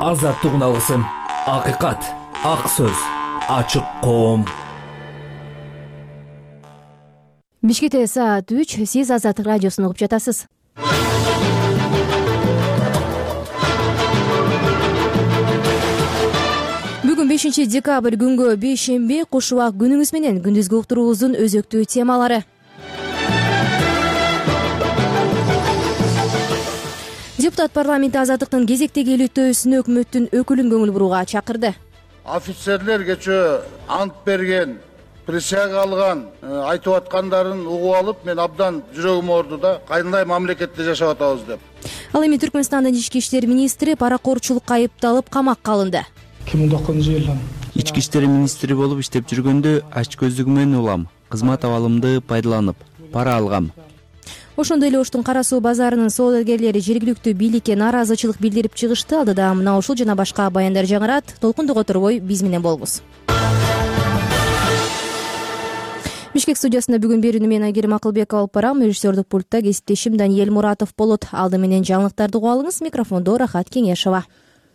Азаттык алгысым, акыйкат, ак сөз, ачык коом. Бишкекте саат 3, сиз Азаттык радиосун угуп жатасыз. Бүгүн 5 декабрь күнгө бейшемби, куш убак күнүңүз менен күндүзгү уктуруубуздун өзөктүү темалары. Депутат парламентте Азаттыктын кезектеги иликтөөсүнө өкмөттүн өкүлүн көңүл бурууга чакырды. Офицерлер кечээ ант берген, присяга алган, айтып аткандарын угуп алып, мен абдан жүрөгүм оорду да, кандай мамлекетте жашап атабыз деп. Ал эми Түркмөнстандын ички иштер министри паракорчулукка айыпталып камакка алынды. 2009 жылдан ички иштер министри болуп иштеп жүргөндө ач көздүгү менен улам, кызмат абалымды пайдаланып, пара алгам. Ошондой эле Оштун Кара суу базарынын соодагерлери жергиликтүү бийликке нааразычылык билдирип чыгышты. Алдыда мына ушул жана башка баяндар жаңырат. Толкундук оторбой биз менен болуңуз. Бишкек студиясында бүгүн берүүнү мен Айгерим Акылбекова алып барам. Режиссердик пультта кесиптешим Даниэль Муратов болот. Алды менен жаңылыктарды угуп алыңыз. Микрофондо Рахат Кеңешова.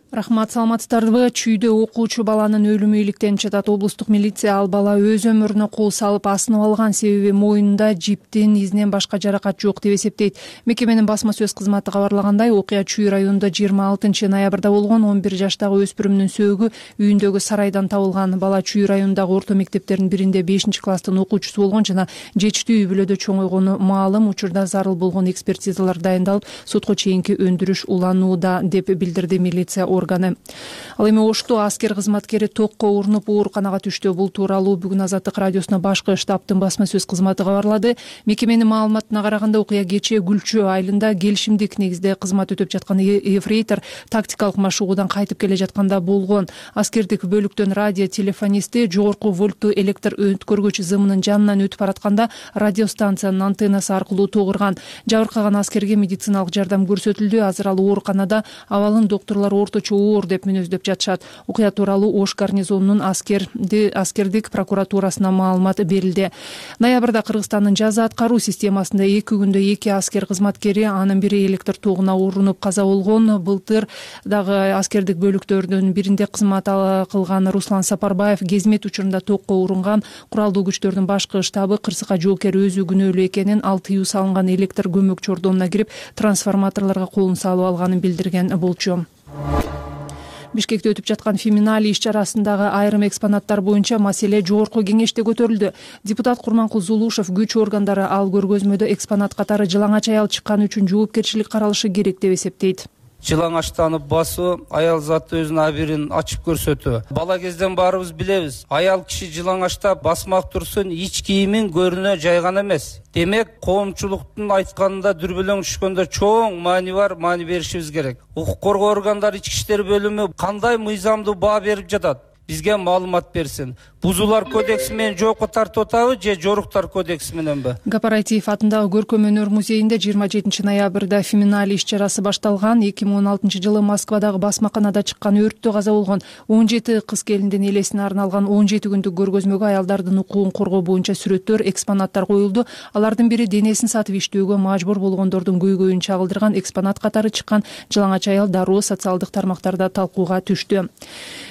Рахмат, саламатсыздарбы? Чүйдө окуучу баланын өлүмү иликтенип жатат. Облустук милиция ал бала өз өмүрүнө кол салып асынып алган, себеби моюнунда жиптин изинен башка жаракат жок деп эсептейт. Мекеменин басма сөз кызматы кабарлагандай, окуя Чүй районунда 26 ноябрда болгон. 11 жаштагы өспүрүмдүн сөөгү үйүндөгү сарайдан табылган. Бала Чүй районундагы орто мектептердин биринде 5-класстын окуучусу болгон жана жечтүү үй бүлөдө чоңойгону маалым. Учурда зарыл болгон экспертизалар дайындалып, сотко чейинки өндүрүш уланууда деп билдирди милиция органы. Ал эми Ошту аскер кызматкери токко урунуп ооруканага түштү. Бул тууралуу бүгүн Азаттык радиосуна башкы штабтын басма сөз кызматы кабарлады. Мекеменин маалыматына караганда, окуя кечээ Гүлчө айылында келишимдик негизде кызмат өтөп жаткан эфрейтор тактикалык машыгуудан кайтып келе жатканда болгон. Аскердик бөлүктөн радио телефонисти жогорку вольттуу электр өткөргүч зымынын жанынан өтүп баратканда радиостанциянын антеннасы аркылуу тогурган. Жабыркаган аскерге медициналык жардам көрсөтүлдү. Азыр ал ооруканада. Абалын доктурлар орточо оор деп мүнөздөп жатышат. Окуя тууралуу Ош гарнизонунун аскердик прокуратурасына маалымат берилди. Ноябрда Кыргызстандын жаза аткаруу системасында 2 күндө 2 аскер кызматкери, анын бири электр тогуна урунуп каза болгон. Былтыр дагы аскердик бөлүктөрдүн биринде кызмат кылган Руслан Сапарбаев кезмет учурунда токко урунган. Куралдуу күчтөрдүн башкы штабы кырсыкка жоокер өзү күнөөлүү экенин, ал тыюу салынган электр көмөк чордонуна кирип трансформаторлорго колун салып алганын билдирген болчу. Бишкекте өтүп жаткан Феминали иш-чарасындагы айрым экспонаттар боюнча маселе жогорку кеңеште көтөрүлдү. Депутат Курманкул Зулушев күч органдары ал көргөзмөдө экспонат катары жылаңач аял чыкканы үчүн жоопкерчилик каралышы керек деп эсептейт. Жылаңачтанып басуу, аял заты өзүнүн абирин ачып көрсөтүү. Бала кезден баарыбыз билебиз. Аял киши жылаңачтап басмак турсун, ич кийимин көрүнө жайган эмес. Демек, коомчулуктун айтканында дүрбөлөң түшкөндө чоң маани бар, маани беришибиз керек. Укук коргоо органдары, ички иштер бөлүмү кандай мыйзамдуу баа берип жатат? Бизге маалымат берсин. Бузуулар кодекси менен жокко тартып атабы же жоруктар кодекси мененби? Гапаратиев атындагы көркөм өнөр музейинде 27 ноябрда Феминали иш-чарасы башталган. 2016 жылы Москвадагы басмаканада чыккан өрттө каза болгон 17 кыз келиндин элесине арналган 17 күндүк көргөзмөгө аялдардын укугун коргоо боюнча сүрөттөр, экспонаттар коюлду. Алардын бири денесин сатып иштөөгө мажбур болгондордун көйгөйүн чагылдырган экспонат катары чыккан жылаңач аял дароо социалдык тармактарда талкууга түштү.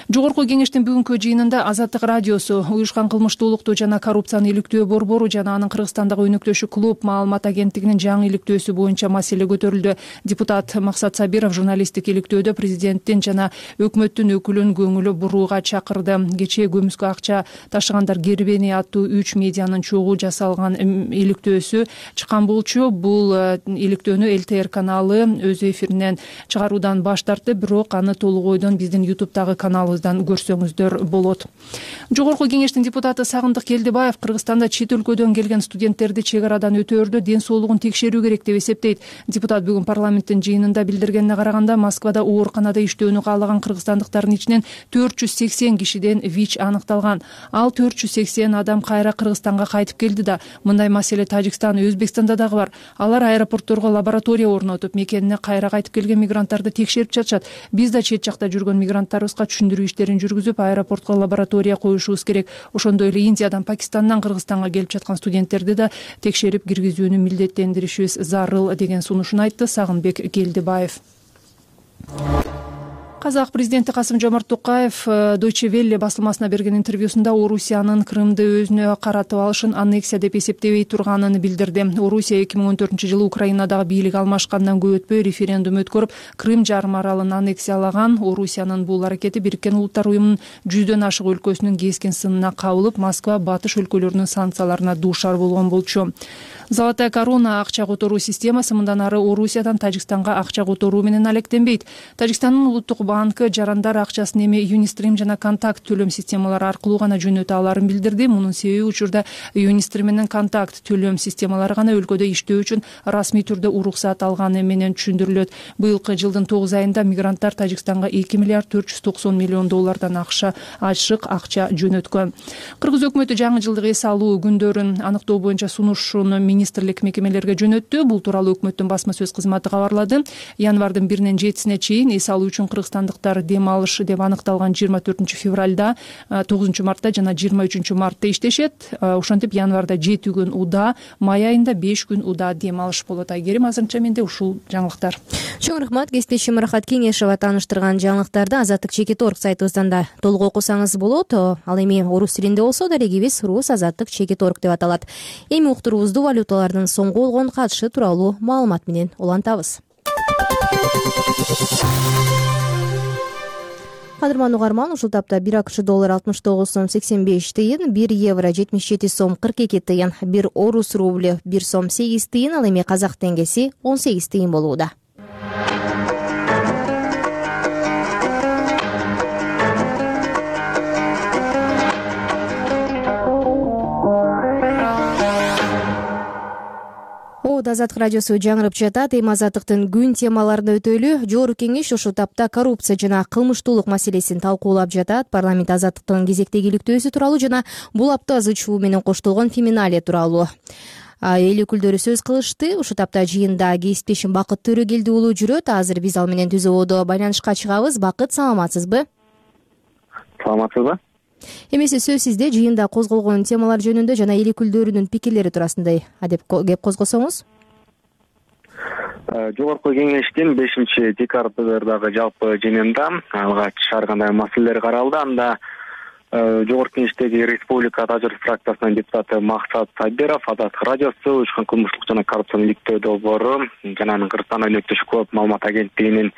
Жогорку кеңештин бүгүнкү жыйынында Азаттык радиосу, уюшкан кылмыштуулукту жана коррупцияны иликтөө борбору жана анын Кыргызстандагы өнөктөшү клуб маалымат агенттигинин жаңы иликтөөсү боюнча маселе көтөрүлдү. Депутат Максат Сабиров журналисттик иликтөөдө президенттин жана өкмөттүн өкүлүн көңүл бурууга чакырды. Кечээ көмүскө акча ташыгандар Гербени аттуу 3 медианын чогуу жасалган иликтөөсү чыккан болчу. Бул иликтөөнү ЛТР каналы өз эфиринен чыгаруудан баш тартты, бирок аны толук ойдон биздин YouTube'дагы каналыбыздан көрсөңүздөр болот. Жогорку кеңештин депутаты Сагындык Келдибаев Кыргызстанда чет өлкөдөн келген студенттерди чек арадан өтөөрдө ден соолугун текшерүү керек деп эсептейт. Депутат бүгүн парламенттин жыйынында билдиргенине караганда, Москвада ооруканада иштөөнү каалаган кыргызстандыктардын ичинен 480 кишиден ВИЧ аныкталган. Ал 480 адам кайра Кыргызстанга кайтып келди да. Мындай маселе Тажикстан, Өзбекстанда дагы бар. Алар аэропортторго лаборатория орнотуп, мекенине кайра кайтып келген мигранттарды текшерип жатышат. Биз да чет жакта жүргөн мигранттарыбызга түшүндүрүү иштерин жүргүзүп, аэропортко лаборатория коюшубуз керек. Ошондой эле Индиядан, Пакистандан Кыргызстанга келип жаткан студенттерди да текшерип киргизүүнү милдеттендиришибиз зарыл деген сунушун айтты Сагынбек Келдибаев. Казак президенти Касым-Жомарт Токаев Deutsche Welle басылмасына берген интервьюсунда Орусиянын Крымды өзүнө каратып алышын аннексия деп эсептебей турганын билдирди. Орусия 2014-жылы Украинадагы бийлик алмашкандан көп өтпөй референдум өткөрүп, Крым жарым аралын аннексиялаган. Орусиянын бул аракети Бириккен Улуттар уюмунун 100дөн ашык өлкөсүнүн кескен сынына кабылып, Москва батыш өлкөлөрүнүн санкцияларына дуушар болгон болчу. Золотая корона акча которуу системасы мындан ары Орусиядан Тажикстанга акча которуу менен алектенбейт. Тажикстандын улуттук банкы жарандар акчасын эми Юнистрим жана Контакт төлөм системалары аркылуу гана жөнөтө аларын билдирди. Мунун себеби учурда Юнистрим менен Контакт төлөм системалары гана өлкөдө иштөө үчүн расмий түрдө уруксат алганы менен түшүндүрүлөт. Быйылкы жылдын 9 айында мигранттар Тажикстанга 2 миллиард 490 миллион доллардан ашык акча жөнөткөн. Кыргыз өкмөтү жаңы жылдык эс алуу күндөрүн аныктоо боюнча сунушун министрлик мекемелерге жөнөттү. Бул тууралуу өкмөттүн басма сөз кызматы кабарлады. Январдын 1-нен 7-сине чейин эс алуу үчүн кыргызстандыктар дем алышы деп аныкталган 24 февралда, 9 мартта жана 23 мартта иштешет. Ошентип январда 7 күн уда, май айында 5 күн уда дем алыш болот. Айгерим, азырынча менде ушул жаңылыктар. Чоң рахмат. Кесиптешим Рахат Кеңешова тааныштырган жаңылыктарды Азаттык Чекит.org сайтыбыздан да толук окусаңыз болот. Ал эми орус тилинде болсо дарегибиз Рус Азаттык Чекит.org деп аталат. Эми уктуруубузду валюталардын соңку болгон катышы тууралуу маалымат менен улантабыз. Кадырман угарман, ушул тапта 1 АКШ доллар 69 сом 85 тыйын, 1 евро 77 сом 42 тыйын, 1 орус рубль 1 сом 8 тыйын, ал эми казак теңгеси 18 тыйын болууда. Азаттык радиосу жаңырып жатат. Эми Азаттыктын күн темаларына өтөлү. Жогорку кеңеш ушул тапта коррупция жана кылмыштуулук маселесин талкуулап жатат. Парламент Азаттыктын кезектегиликтөөсү тууралуу жана бул апта ызы чуу менен коштолгон феминалия тууралуу эл өкүлдөрү сөз кылышты. Ушул тапта жыйында кесиптешим Бакыт Төрөгелди уулу жүрөт. Азыр биз ал менен түз абодо байланышка чыгабыз. Бакыт, саламатсызбы? Саламатсызбы? Эмесе сөз сизде. Жыйында козголгон темалар жөнүндө жана эл өкүлдөрүнүн пикирлери туурасында кеп козгосоңуз. Жогорку кеңештин 5-декабрдагы жалпы жыйынында алгач кандай маселелер каралды. Анда Жогорку кеңештеги Республика Тажыр фракциясынын депутаты Максат Сабиров Азаттык радиосу учкан кылмыштык жана коррупцияны иликтөө долбоору жана Кыргызстан өнөктөшү көп маалымат агенттигинин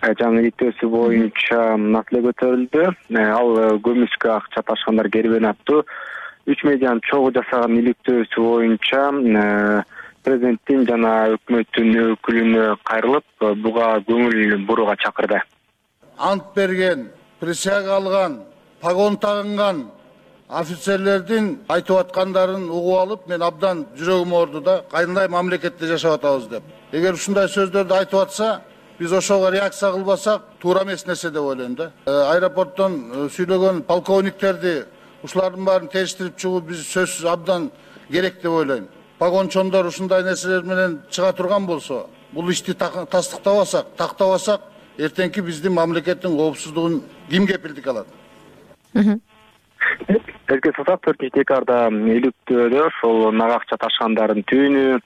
жаңы иликтөөсү боюнча маселе көтөрүлдү. Ал көмүскө акча ташкандар кербен аттуу 3 медианын чогуу жасаган иликтөөсү боюнча президенттин жана өкмөттүн өкүлүнө кайрылып, буга көңүл бурууга чакырды. Ант берген, присяга алган, погон тагынган офицерлердин айтып аткандарын угуп алып, мен абдан жүрөгүм оорду да, кандай мамлекетте жашап атабыз деп. Эгер ушундай сөздөрдү айтып атса, биз ошого реакция кылбасак, туура эмес нерсе деп ойлойм да. Аэропорттон сүйлөгөн полковниктерди ушулардын баарын териштирип чыгуу биз сөзсүз абдан керек деп ойлойм. Погончондор ушундай нерселер менен чыга турган болсо, бул ишти тактабасак, эртеңки биздин мамлекеттин коопсуздугун ким кепилдик алат? Эске салсак, 4-декабрда иликтөөдө ошол нак акча ташкандардын түбүнү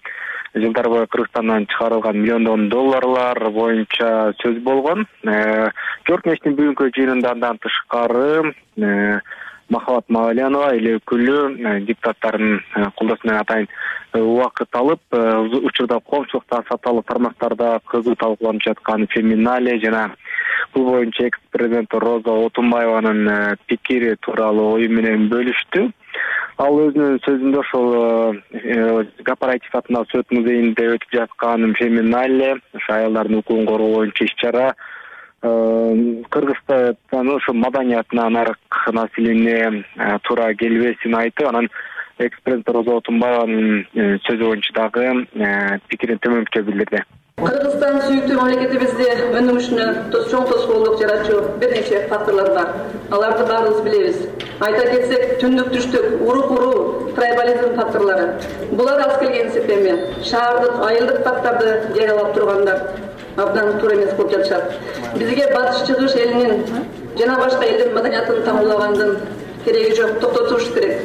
жылдар бою Кыргызстандан чыгарылган миллиондон долларлар боюнча сөз болгон. Жогорку кеңештин бүгүнкү жыйынында андан тышкары Махабат Мавалянова эл өкүлү депутаттардын колдоосу менен атайын убакыт алып, учурда коомчулукта саталуу тармактарда кызуу талкууланып жаткан феминалия жана бул боюнча экс-президент Роза Отунбаеванын пикири тууралуу ою менен бөлүштү. Ал өзүнүн сөзүндө ошол корпоратив атындагы Сөт музейинде өтүп жаткан феминалия, ошо аялдардын укугун коргоо боюнча иш-чара Кыргызстан ошо маданиятына нарык маселене туура келбесин айтып, анан экс-президент Роза Отунбаеванын сөзү боюнча дагы пикирин төмөнкү билдирди. Кыргызстан сүйүктүү мамлекетибизде өнүгүшүнө чоң тоскоолдук жаратчу бир нече факторлор бар. Аларды баарыбыз билебиз. Айта кетсек, түндүк түштүк, урук трайбализм факторлору. Булар аз келген сепеми, шаардык, айылдык факторду жарыялап тургандар абдан туура эмес болуп жатышат. Бизге батыш чыгыш элинин жана башка элдин маданиятын тамырлагандын кереги жок, токтотуш керек.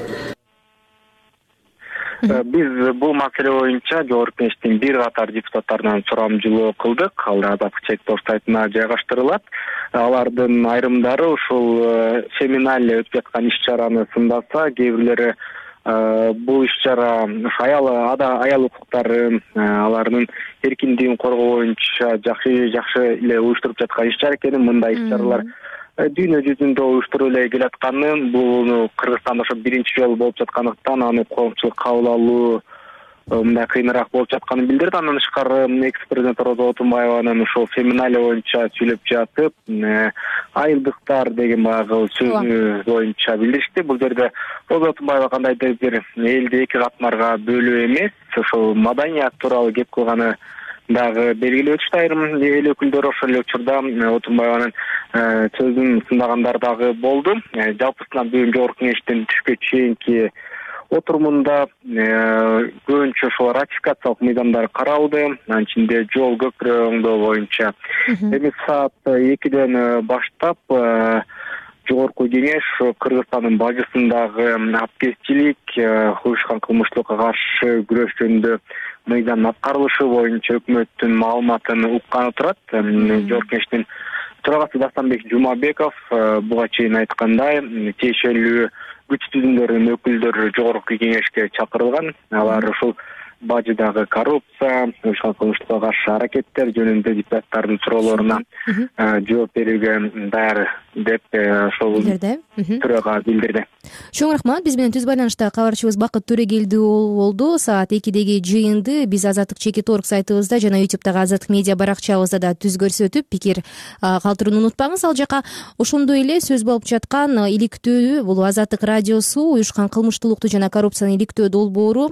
Биз бул маселе боюнча Жогорку Кеңештин бир катар депутаттарынан сурамжылоо кылдык. Ал азаттык чек-тош сайтына жайгаштырылат. Алардын айрымдары ушул семинале өтүп жаткан иш-чараны сындаса, кээ бирлери бул иш-чара аял укуктарын, алардын эркиндигин коргоо боюнча жакшы эле уюштуруп жаткан иш-чара экенин, мындай иш-чаралар дүйнө жүзүндө уюштуруп эле келатканын, бул Кыргызстанда ошо биринчи жолу болуп жаткандыктан аны коомчулук кабыл алуу мындай кыйыныраак болуп жатканын билдирди. Андан тышкары экс-президент Роза Отунбаеванын ошол семинале боюнча сүйлөп жатып, айылдыктар деген баягы сөзү боюнча билдиришти. Бул жерде Роза Отунбаева кандайдыр бир элди эки катмарга бөлүү эмес, ошол маданият тууралуу кеп кылганы дагы белгилеп өтүштү. Айрым эл өкүлдөрү ошол эле учурда Отунбаеванын сөзүн сындагандар дагы болду. Жалпысынан бүгүн Жогорку Кеңештин түшкө чейинки отурумунда көбүнчө ошол ратификациялык мыйзамдар каралды. Анын ичинде жол көпүрө оңдоо боюнча эми саат 2ден баштап Жогорку Кеңеш Кыргызстандын бажысындагы апкезчилик, уюшкан кылмыштуулукка каршы күрөш жөнүндө мыйзамдын аткарылышы боюнча өкмөттүн маалыматын укканы турат. Жогорку Кеңештин төрагасы Дастанбек Жумабеков буга чейин айткандай, тиешелүү күч түзүмдөрүнүн өкүлдөрү Жогорку Кеңешке чакырылган. Алар ушул бажыдагы коррупция, уюшкан кылмыштуулукка каршы аракеттер жөнүндө депутаттардын суроолоруна жооп берүүгө даяр деп ошол төрага билдирди. Чоң рахмат. Биз менен түз байланышта кабарчыбыз Бакыт Төрегелдиұлы болду. Саат 2деги жыйынды биз Азаттык Чекит.org сайтыбызда жана YouTube'дагы Азаттык медиа баракчабызда да түз көрсөтүп, пикир калтырууну унутпаңыз. Ал жака ошондой эле сөз болуп жаткан иликтөө, бул Азаттык радиосу уюшкан кылмыштуулукту жана коррупцияны иликтөө долбоору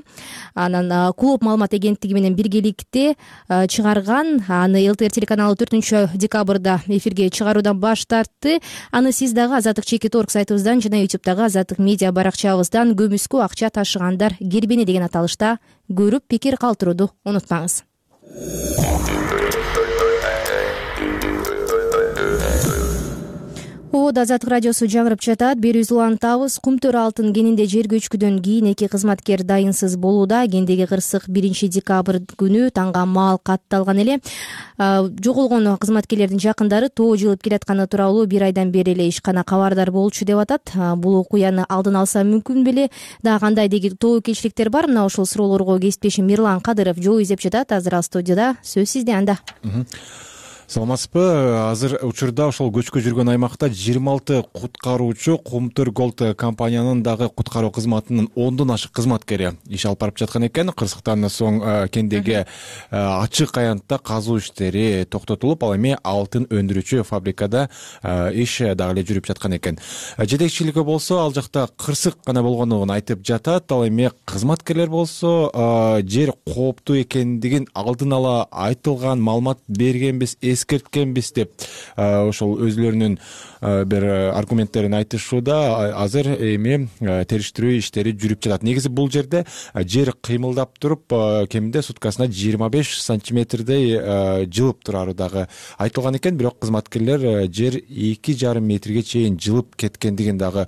анан Клуб маалымат агенттиги менен биргеликте чыгарган. Аны ЛТР телеканалы 4-декабрда эфирге чыгаруудан баш тартты. Аны сиз дагы Азаттык Чекит.org сайтыбыздан жана YouTube'дагы Азаттык медиа баракчабыздан көмүскө акча ташыгандар кербени деген аталышта көрүп, пикир калтырууну унутпаңыз. Азаттык радиосу жаңырып жатат. Берүүбүздү улантабыз. Кумтөр алтын кенинде жер көчкүдөн кийин 2 кызматкер дайынсыз болууда. Кендеги кырсык 1-декабрь күнү таңга маал катталган эле. Жоголгон кызматкерлердин жакындары тоо жылып келатканы тууралуу 1 айдан бери эле ишкана кабардар болчу деп атат. Бул окуяны алдын алса мүмкүн беле? Дагы кандай деги тобокелчиликтер бар? Мына ошол суроолорго кесиптешим Мирлан Кадыров жооп изеп жатат. Азыр ал студияда. Сөз сизде анда. Саламатсызбы? Азыр учурда ошол көчкө жүргөн аймакта 26 куткаруучу Кумтөр Голд компаниянын дагы куткаруу кызматынын 10дон ашык кызматкери иш алып барып жаткан экен. Кырсыктан соң кендеги ачык аянтта казуу иштери токтотулуп, ал эми алтын өндүрүүчү фабрикада иш дагы эле жүрүп жаткан экен. Жетекчилиги болсо ал жакта кырсык гана болгонун айтып жатат. Ал эми кызматкерлер болсо жер кооптуу экендигин алдын ала айтылган маалымат бергенбиз, эскерткенбиз деп ошол өзүлөрүнүн бир аргументтерин айтышууда. Азыр эми териштирүү иштери жүрүп жатат. Негизи бул жерде жер кыймылдап туруп, кеминде суткасына 25 сантиметрдей жылып турары дагы айтылган экен. Бирок кызматкерлер жер 2,5 метрге чейин жылып кеткендигин дагы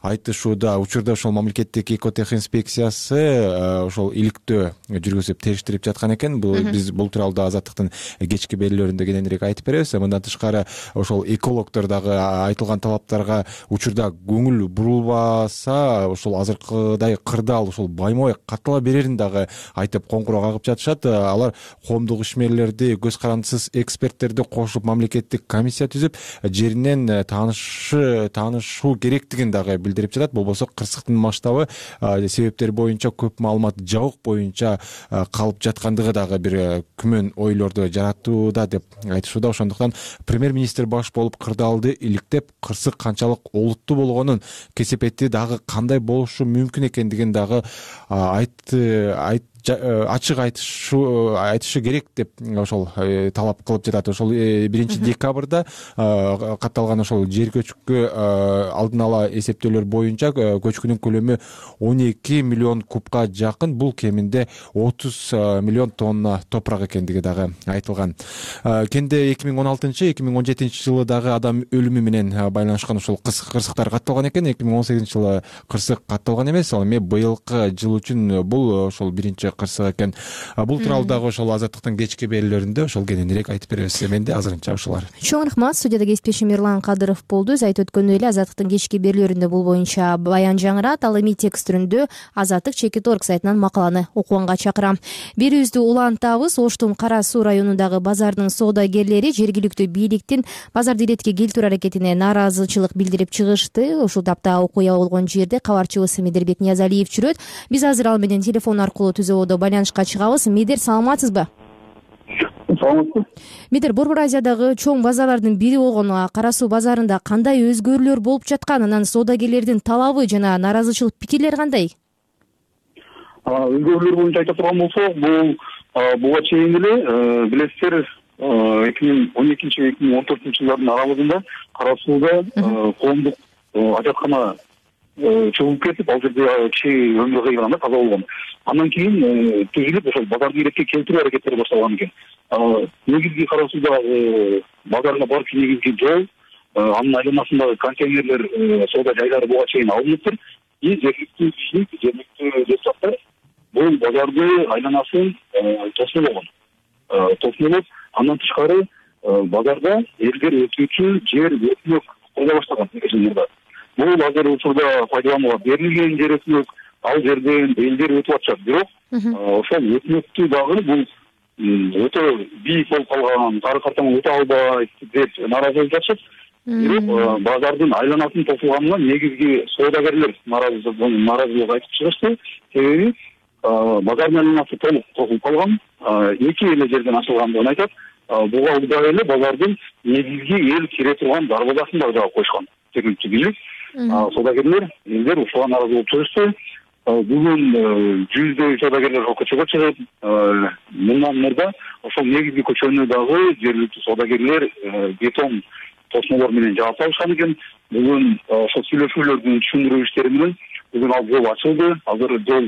айтышууда. Учурда ошол мамлекеттик экотех инспекциясы ошол иликтөө жүргүзүп териштирип жаткан экен. Биз бул тууралуу Азаттыктын кечки берүүлөрүндө кененирээк айтып беребиз. Мындан тышкары ошол экологдор дагы айтылган талаптарга учурда көңүл бурулбаса, ошол азыркыдай кырдаал ошол баймой каттала берерин дагы айтып коңгуроо кагып жатышат. Алар коомдук ишмерлерди, көз карандысыз эксперттерди кошуп мамлекеттик комиссия түзүп, жеринен таанышуу керектигин дагы билдирип жатат. Болбосо кырсыктын масштабы, себептери боюнча көп маалымат жабык боюнча калып жаткандыгы дагы бир күмөн ойлорду жаратууда деп айтышууда. Ошондуктан премьер-министр баш болуп кырдаалды иликтеп, кырсык канчалык олуттуу болгонун, кесепети дагы кандай болушу мүмкүн экендигин дагы ачык айтышы керек деп ошол талап кылып жатат. Ошол 1 декабрда катталган ошол жер көчкү алдын ала эсептөөлөр боюнча көчкүнүн көлөмү 12 миллион кубка жакын. Бул кеминде 30 миллион тонна топурак экендиги дагы айтылган. Кенде 2016-2017 жылы дагы адам өлүмү менен байланышкан ошол кырсыктар катталган экен. 2018 жылы кырсык катталган эмес. Ал эми быйылкы жыл үчүн бул ошол биринчи кырсык экен. Бул тууралуу дагы ошол Азаттыктын кечки берүүлөрүндө ошол кененирээк айтып беребиз. Менде азырынча ушулар. Чоң рахмат. Студияда кесиптешим Эрлан Кадыров болду. Өз айтып өткөндөй эле Азаттыктын кечки берүүлөрүндө бул боюнча баян жаңырат. Ал эми текст түрүндө Азаттык.org сайтынан макаланы окуганга чакырам. Берүүбүздү улантабыз. Оштун Кара Суу районундагы базардын соодагерлери жергиликтүү бийликтин базарды иретке келтирүү аракетине нааразычылык билдирип чыгышты. Ушул тапта окуя болгон жерде кабарчыбыз Медербек Ниязалиев жүрөт. Биз азыр ал менен телефон аркылуу түзөбодо байланышка чыгабыз. Медер, саламатсызбы? Саламатсызбы. Медер, Борбор Азиядагы чоң базарлардын бири болгон Кара Суу базарында кандай өзгөрүүлөр болуп жаткан, анан соодагерлердин талабы жана нааразычылык пикирлери кандай? Өзгөрүүлөр боюнча айта турган болсок, буга чейин эле билесиздер 2012-2014 жылдардын аралыгында Кара Сууда коомдук ажаткана чыгып кетип, ал жерде киши өмүрү кыйган, каза болгон. Андан кийин түзүлүп ошол базарды иретке келтирүү аракеттери башталган экен. Негизги Кара Суудагы базарга барчу негизги жол, анын айланасындагы контейнерлер, соода жайлары буга чейин алыныптыр. Жергиликтүү бийлик, жергиликтүү депутаттар бул базарды айланасын тосмолоп, андан тышкары базарда элдер өтүүчү жер өкмөк кое баштаган жылдарда. Бул азыр учурда пайдаланууга берилген жер өкмөк, ал жерден элдер өтүп атышат. Бирок ошол өкмөктү дагы бул өтө бийик болуп калган, кары картаңы өтө албайт деп нааразы болуп жатышат. Бирок базардын айланасын тосулганына негизги соодагерлер нааразылык айтып чыгышты. Себеби базардын айланасы толук тосулуп калган, эки эле жерден ачылгандыгын айтат. Буга ылдый эле базардын негизги эл кире турган дарбазасын дагы жаап койушкан. Жергиликтүү бийлик, соодагерлер, элдер ушуга нааразы болуп чыгышты. Бүгүн жүздөй соодагерлер көчөгө чыгып, мындан мурда ошол негизги көчөнү дагы жергиликтүү соодагерлер бетон тосмолор менен жаап салышкан экен. Бүгүн ошол сүйлөшүүлөрдүн түшүндүрүү иштери менен бүгүн ал жол ачылды. Азыр жол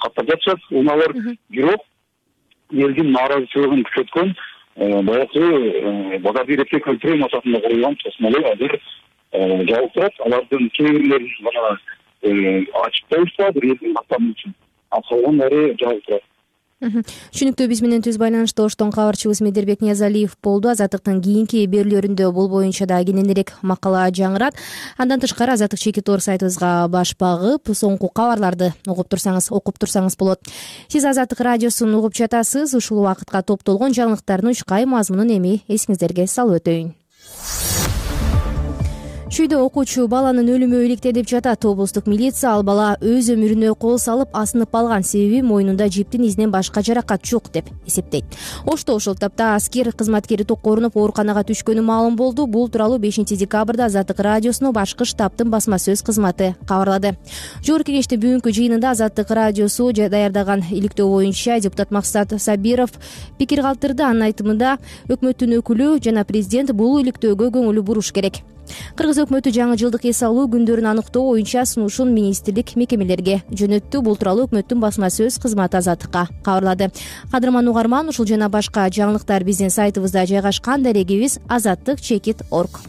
каттап жатышат унаалар. Бирок элдин нааразычылыгын күчөткөн баягы базарды иретке келтирүү максатында курулган тосмолор азыр жабык турат. Алардын кээ бирлерин гана ачып коюшса, бир элдин каттамы үчүн. Ал калгандары жабык турат. Түшүнүктүү. Биз менен түз байланышта Оштон кабарчыбыз Медербек Ниязалиев болду. Азаттыктын кийинки берүүлөрүндө бул боюнча да кененирээк макала жаңырат. Андан тышкары Азаттык.org сайтыбызга баш багып, соңку кабарларды окуп турсаңыз болот. Сиз Азаттык радиосун угуп жатасыз. Ушул убакытка топтолгон жаңылыктардын учкай мазмунун эми эсиңиздерге салып өтөйүн. Чүйдө окуучу баланын өлүмү иликтенип жатат. Облустук милиция ал бала өз өмүрүнө кол салып асынып калган, себеби мойнунда жиптин изинен башка жаракат жок деп эсептейт. Ошто ошол тапта аскер кызматкери токкорунуп ооруканага түшкөнү маалым болду. Бул тууралуу 5 декабрда Азаттык радиосуна башкы штабтын басма сөз кызматы кабарлады. Жогорку кеңештин бүгүнкү жыйынында Азаттык радиосу даярдаган иликтөө боюнча депутат Максат Сабиров пикир калтырды. Анын айтымында өкмөттүн өкүлү жана президент бул иликтөөгө көңүл буруш керек. Кыргыз өкмөтү жаңы жылдык эс алуу күндөрүн аныктоо боюнча сунушун министрлик мекемелерге жөнөттү. Бул тууралуу өкмөттүн басма сөз кызматы Азаттыкка кабарлады. Кадырман угарман, ушул жана башка жаңылыктар биздин сайтыбызда жайгашкан. Дарегибиз Azattik.org.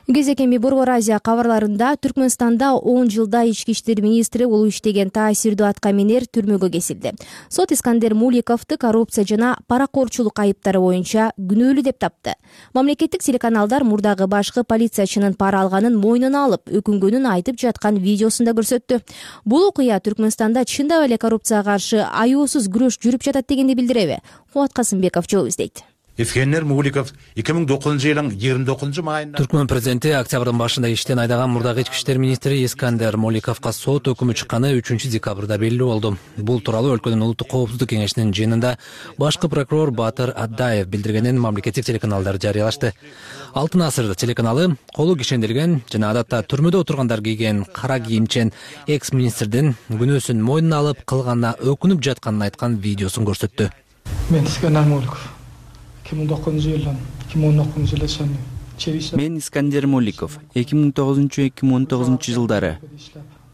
Кезекеми Борбор Азия кабарларында Түркмөнстанда 10 жылда ички иштер министри болуп иштеген таасирдүү аткаминер түрмөгө кесилди. Сот Искандер Муликовду коррупция жана паракорчулук айыптары боюнча күнөөлүү деп тапты. Мамлекеттик телеканалдар мурдагы башкы полициячынын пара алганын мойнуна алып, өкүнгөнүн айтып жаткан видеосун да көрсөттү. Бул окуя Түркмөнстанда чындап эле коррупцияга каршы аюусуз күрөш жүрүп жатат дегенди билдиреби? Кубат Касымбеков жооп издейт. Эскендер Муликов 2009-жылдын 29-майында Түркмөн президенти октябрдын башында иштен айдаган мурдагы ички иштер министри Искандер Моликовго сот өкүмү чыкканы 3-декабрда белгилүү болду. Бул тууралуу өлкөнүн улуттук коопсуздук кеңешинин жыйынында башкы прокурор Батыр Аддаев билдиргенин мамлекеттик телеканалдар жарыялашты. Алтын асыр телеканалы колу кишенделген жана адатта түрмөдө отургандар кийген кара кийимчен экс-министрдин күнөөсүн мойнуна алып кылганына өкүнүп жатканын айткан видеосун көрсөттү. Мен Искандер Моликов 2009-жылдан 2019-жылга Мен Искандер Моликов 2009-2019 жылдары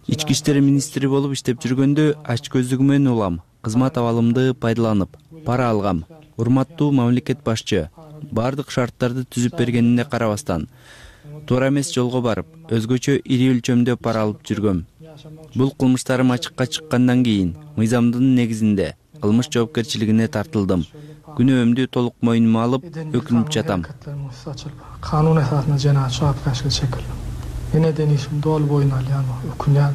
ички иштер министри болуп иштеп жүргөндө ачкөздүгү менен улам, кызмат абалымды пайдаланып, пара алгам. Урматтуу мамлекет башчы, бардык шарттарды түзүп бергенине карабастан, туура эмес жолго барып, өзгөчө ири өлчөмдө пара алып жүргөм. Бул кылмыштарым ачыкка чыккандан кийин мыйзамдын негизинде кылмыш жоопкерчилигине тартылдым. Күнөөмдү толук мойнума алып, өкүнүп жатам. Канун эсасында жана жоопкерчилик чекилди. Эне денишим дол боюна өкүнөм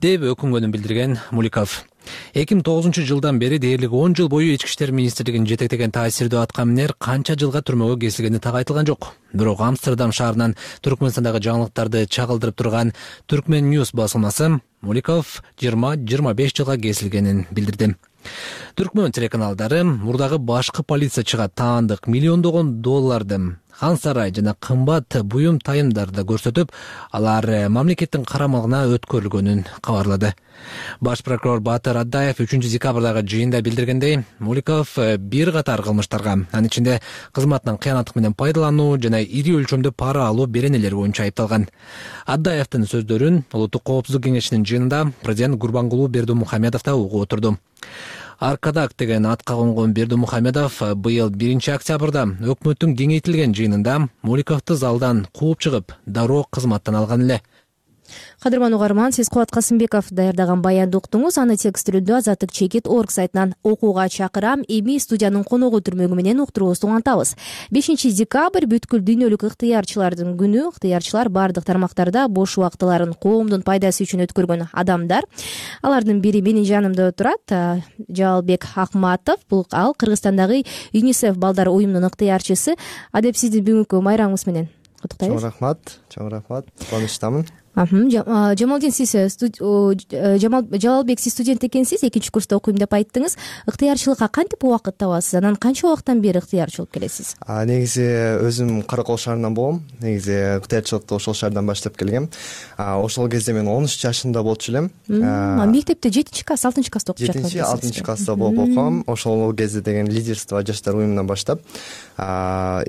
деп өкүнгөнүн билдирген Муликов. 2009 жылдан бери дээрлик 10 жыл бою ички иштер министрлигин жетектеген таасирдүү аткаминер канча жылга түрмөгө кесилгени так айтылган жок. Бирок Амстердам шаарынан Түркмөнстандагы жаңылыктарды чагылдырып турган Түркмен News басылмасы Муликов 20-25 жылга кесилгенин билдирди. Түркмөн телеканалдары мурдагы башкы полициячыга таандык миллиондогон долларды хан сарай жана кымбат буюм тайымдарды көрсөтүп, алар мамлекеттин карамагына өткөрүлгөнүн кабарлады. Баш прокурор Батыр Аддаев 3-декабрдагы жыйында билдиргендей, Муликов бир катар кылмыштарга, анын ичинде кызматынан кыянаттык менен пайдалануу жана ири өлчөмдө пара алуу беренелери боюнча айыпталган. Аддаевдин сөздөрүн Улуттук коопсуздук кеңешинин жыйынында президент Гурбангулуу Бердимухамедов да угуп отурду. Аркадак деген атка конгон Бердимухамедов быйыл 1-октябрда өкмөттүн кеңейтилген жыйынында Муликовду залдан кууп чыгып, дароо кызматтан алган эле. Кадырман угарман, сиз Кубат Касымбеков даярдаган баянды уктуңуз. Аны текстилүү Азаттык чекит орг сайтынан окууга чакырам. Эми студиянын коногу түрмөгү менен уктуруубузду улантабыз. 5-декабрь бүткүл дүйнөлүк ыктыярчылардын күнү. Ыктыярчылар бардык тармактарда бош убактыларын коомдун пайдасы үчүн өткөргөн адамдар. Алардын бири менин жанымда отурат, Жалалбек Акматов. Бул ал Кыргызстандагы ЮНИСЕФ балдар уюмунун ыктыярчысы. Адеп сизди бүгүнкү майрамыңыз менен куттуктайбыз. Чоң рахмат, кубанычтамын. Жамалдин, сиз Жалалбек, сиз студент экенсиз, 2-курста окуйм деп айттыңыз. Ыктыярчылыкка кантип убакыт табасыз? Анан канча убакыттан бери ыктыярчы болуп келесиз? Негизи өзүм Каракол шаарынан болгом. Негизи ыктыярчылыкты ошол шаардан баштап келгем. Ошол кезде мен 13 жашында болчу элем. Мектепте 7-класс, 6-класста окуп жаткан. 7-6 класста болуп окугам. Ошол кезде деген лидерство жаштар уюмунан баштап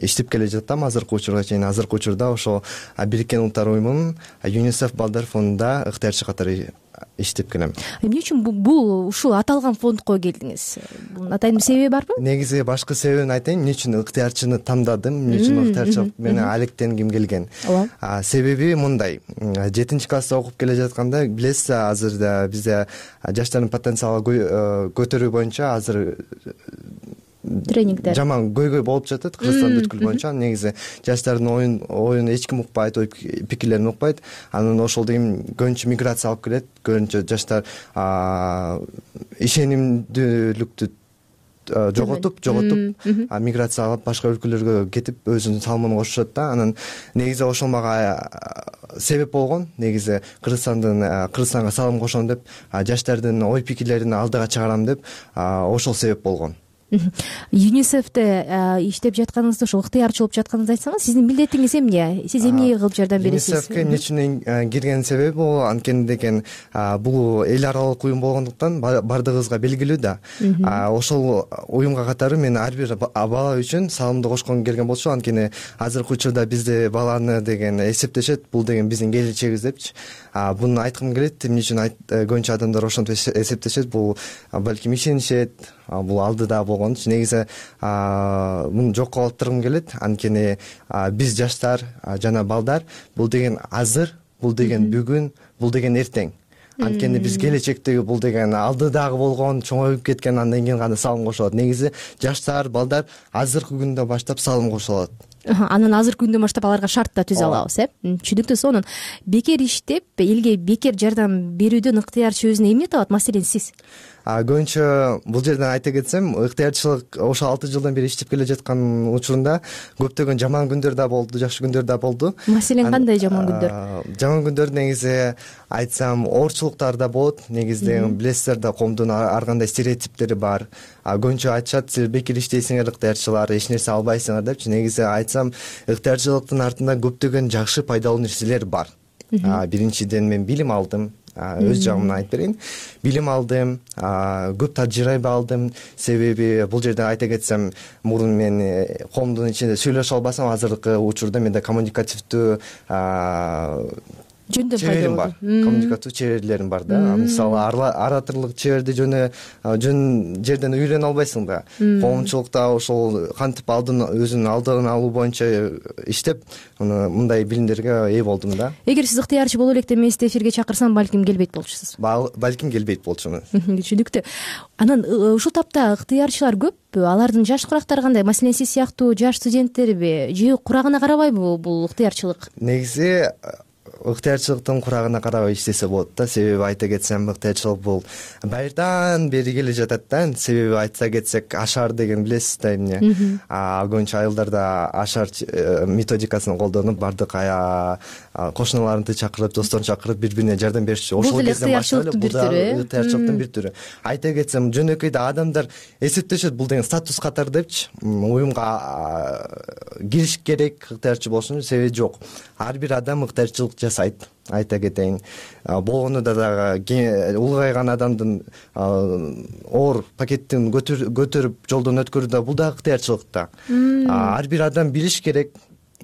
иштеп келе жаттым. Азыркы учурга чейин. Азыркы учурда ошол Бириккен Улуттар уюмунун ЮНИСЕФ балдар фондунда ыктыярчы катары иштеп келем. Эмне үчүн бул ушул аталган фондко келдиңиз? Бунун атайын бир себеби барбы? Негизи башкы себебин айтайын, эмне үчүн ыктыярчыны тандадым, эмне үчүн ыктыярчылык менен алектенгим келген. Себеби мындай: 7-класста окуп келе жатканда, билесиз, азыр бизде жаштардын потенциалын көтөрүү боюнча азыр тренингдер жаман көйгөй болуп жатат Кыргызстан бүткүл боюнча. Негизи жаштардын оюн эч ким укпайт, ой пикирлерин укпайт. Анан ошол деген көбүнчө миграция алып келет. Көбүнчө жаштар ишенимдүүлүктү жоготуп миграция алып башка өлкөлөргө кетип өзүнүн салымын кошушат да. Анан негизи ошол мага себеп болгон. Негизи Кыргызстанга салым кошом деп, жаштардын ой пикирлерин алдыга чыгарам деп, ошол себеп болгон. ЮНИСЕФте иштеп жатканыңызды, ошол ыктыярчы болуп жатканыңызды айтсаңыз, сиздин милдетиңиз эмне? Сиз эмне кылып жардам бересиз? ЮНИСЕФке эмне үчүн кирген себеби бул анткени деген бул эл аралык уюм болгондуктан бардыгыбызга белгилүү да. Ошол уюмга катары мен ар бир бала үчүн салымды кошком келген болчу. Анткени азыркы учурда бизде баланы деген эсептешет, бул деген биздин келечегибиз депчи. Буну айткым келет. Эмне үчүн көбүнчө адамдар ошентип эсептешет? Бул балким ишенишет, бул алдыда болгон. Негизи муну жокко калтыргым келет. Анткени биз жаштар жана балдар бул деген азыр, бул деген бүгүн, бул деген эртең. Анткени биз келечектеги бул деген алдыдагы болгон, чоңоюп кеткен, андан кийин гана салым кошулат. Негизи жаштар, балдар азыркы күндөн баштап салым кошулат. Анан азыркы күндөн баштап аларга шарт да түзө алабыз, Түшүнүктүү. Сонун бекер иштеп, элге бекер жардам берүүдөн ыктыярчы өзүнө эмне табат? Маселен, сиз көбүнчө бул жерден айта кетсем, ыктыярчылык ошо 6 жылдан бери иштеп келе жаткан учурунда көптөгөн жаман күндөр да болду, жакшы күндөр да болду. Маселен кандай жаман күндөр? Жаман күндөр негизи айтсам оорчулуктар да болот. Негизде билесиздер да, коомдун ар кандай стереотиптери бар. Көбүнчө айтышат, силер бекер иштейсиңер ыктыярчылар, эч нерсе албайсыңар депчи. Негизи айтсам, ыктыярчылыктын артында көптөгөн жакшы пайдалуу нерселер бар. Биринчиден мен билим алдым. Өз жагымдан айтып берейин. Билим алдым, көп тажрыйба алдым. Себеби бул жерде айта кетсем, мурун мен коомдун ичинде сөйлөшө албасам, азыркы учурда менде коммуникативдүү чеберим бар. Коммуникативдүү чеберлерим бар да. Мисалы, ораторлук чеберди жөн жерден үйрөнө албайсың да. Коомчулукта ошол кантип өзүнүн алдын алуу боюнча иштеп, мындай билимдерге ээ болдум да. Эгер сиз ыктыярчы боло элек деп мени эфирге чакырсам, балким келбейт болчусуз. Балким келбейт болчумун. Түшүнүктүү. Анан ушул тапта ыктыярчылар көппү? Алардын жаш курактары кандай? Маселен, сиз сыяктуу жаш студенттерби же курагына карабайбы бул ыктыярчылык? Негизи ыктыярчылыктын курагына карабай иштесе болот да. Себеби айта кетсем, ыктыярчылык бул байырдан бери келе жатат да. Себеби айта кетсек, ашар деген билесиз да эмне. Көбүнчө айылдарда ашар методикасын колдонуп, бардык кошуналарыңды чакырып, досторун чакырып, бири-бирине жардам беришчү. Ошол кезде башталып, бул да ыктыярчылыктын бир түрү. Айта кетсем, жөнөкөйдө адамдар эсептешет, бул деген статус катары депчи. Уюмга кириш керек ыктыярчы болуш үчүн. Себеби жок. Ар бир адам ыктыярчылык жасайт. Айта кетейин, болгону дагы улгайган адамдын оор пакеттин көтөрүп жолдон өткөрүүдө, бул дагы ыктыярчылык да. Ар бир адам билиш керек.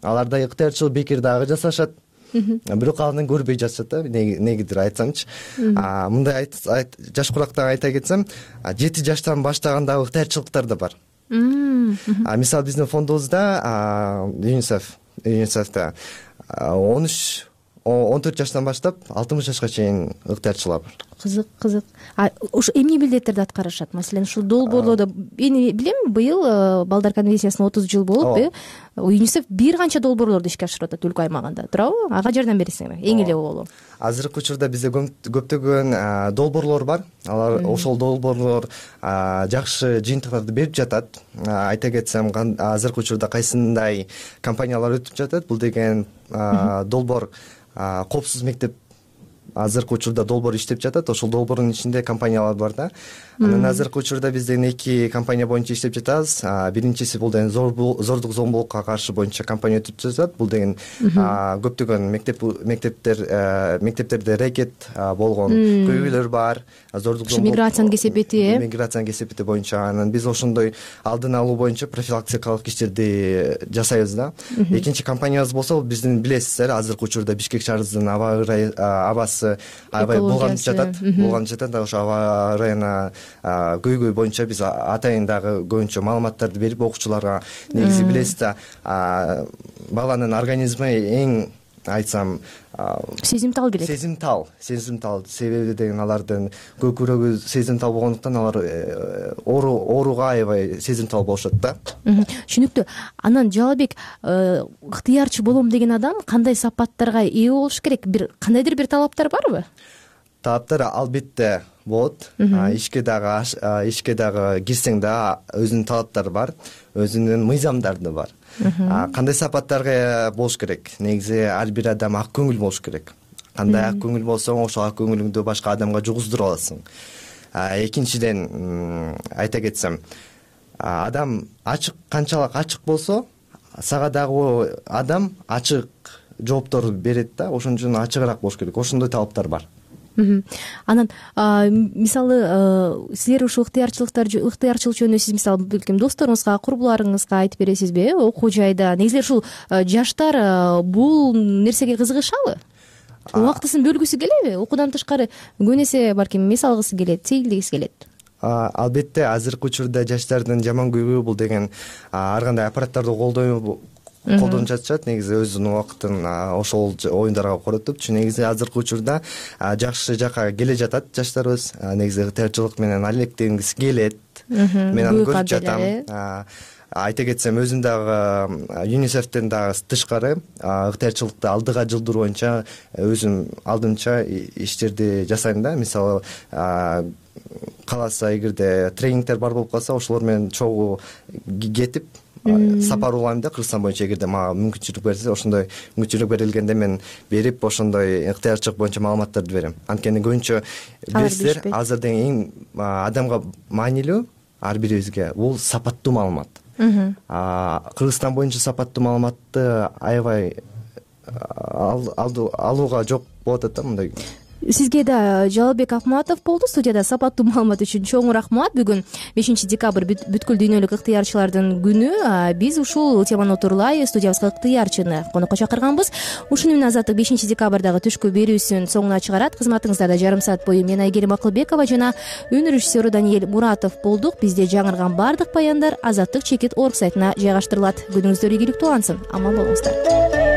Аларда ыктыярчылык бекер дагы жасашат. Бирок анын көрбөй жатышат да, негидир айтсамчы. Мындай жаш курактан айта кетсем, 7 жаштан баштаган ыктыярчылыктар да бар. Мисалы, биздин фондубузда ЮНИСЕФ 13-14 жаштан баштап 60 жашка чейин ыктыярчылар бар. Кызык. Ушу эмне милдеттерди аткарышат? Маселен, ушул долбоорлордо эми билем, быйыл балдар конвенциясына 30 жыл болуп, ЮНИСЕФ бир канча долбоорлорду ишке ашырып атат өлкө аймагында, туурабы? Ага жардам бересиңер, эң эле боло. Азыркы учурда бизде көптөгөн долбоорлор бар. Алар ошол долбоорлор жакшы жыйынтыктарды берип жатат. Айта кетсем, азыркы учурда кайсындай компаниялар өтүп жатат. Бул деген долбоор коопсуз мектеп азыркы учурда долбоор иштеп жатат. Ошол долбоордун ичинде компаниялар бар да. Анан азыркы учурда бизден 2 компания боюнча иштеп жатабыз. Биринчиси бул деген зордук зомбулукка каршы боюнча компания өтүп жатат. Бул деген көптөгөн мектептерде рекет болгон көйгөйлөр бар. Зордук зомбулук, миграциянын кесепети боюнча. Анан биз ошондой алдын алуу боюнча профилактикалык иштерди жасайбыз да. Экинчи компаниябыз болсо, биздин билесиздер, азыркы учурда Бишкек шаарыбыздын абасы аябай булганып жатат. Ошо аба ырайына көйгөй боюнча биз атайын дагы көбүнчө маалыматтарды берип, окуучуларга негизи билесиз да, баланын организми эң айтсам сезимтал келет. Сезимтал. Себеби деген алардын көкүрөгү сезимтал болгондуктан алар ооруга аябай сезимтал болушат да. Түшүнүктүү. Анан Жалалбек, ыктыярчы болом деген адам кандай сапаттарга ээ болуш керек? Кандайдыр бир талаптар барбы? Талаптар албетте болот. Ишке дагы кирсең да өзүнүн талаптары бар, өзүнүн мыйзамдары бар. Кандай сапаттарга болуш керек? Негизи ар бир адам ак көңүл болуш керек. Кандай ак көңүл болсоң, ошол ак көңүлүңдү башка адамга жугуздура аласың. Экинчиден айта кетсем, адам канчалык ачык болсо, сага дагы адам ачык жооптор берет да. Ошон үчүн ачыгыраак болуш керек. Ошондой талаптар бар. Анан мисалы силер ушул ыктыярчылык жөнүндө сиз мисалы досторуңузга, курбуларыңызга айтып бересизби? Окуу жайда негизи ушул жаштар бул нерсеге кызыгышалы? Убактысын бөлгүсү келеби? Окуудан тышкары көбүн эсе балким эс алгысы келет, сейилдегиси келет. Албетте, азыркы учурда жаштардын жаман көйгөйү бул деген ар кандай аппараттарды колдонуп жатышат. Негизи өзүнүн убактын ошол оюндарга коротупчу. Негизи азыркы учурда жакшы жакка келе жатат жаштарыбыз. Негизи ыктыярчылык менен алектенгиси келет. Мен аны көрүп жатам. айта кетсем өзүм дагы ЮНИСЕФтен дагы тышкары ыктыярчылыкты алдыга жылдыруу боюнча өзүм алдымча иштерди жасайм да. Мисалы кааласа эгерде тренингдер бар болуп калса ошолор менен чогуу кетип сапар улайм да Кыргызстан боюнча. Эгерде мага мүмкүнчүлүк берилсе, ошондой мүмкүнчүлүк берилгенде мен берип ошондой ыктыярчылык боюнча маалыматтарды берем. Анткени көбүнчө билесиздер, азыр деги эң адамга маанилүү ар бирибизге бул сапаттуу маалымат. Кыргызстан боюнча сапаттуу маалыматты аябай алууга жок болуп атат да мындай. Сизге да Жалалбек Акматов болду студияда. Сапаттуу маалымат үчүн чоң рахмат. Бүгүн 5 декабрь бүткүл дүйнөлүк ыктыярчылардын күнү. Биз ушул теманы отурлай студиябызга ыктыярчыны конокко чакырганбыз. Ушуну менен Азаттык 5 декабрдагы түшкү берүүсүн соңуна чыгарат. Кызматыңыздарда жарым саат бою мен Айгерим Акылбекова жана өн режиссеру Даниэль Муратов болдук. Бизде жаңырган баардык баяндар Азаттык чекит орг сайтына жайгаштырылат. Күнүңүздөр ийгиликтүү улансын. Аман болуңуздар.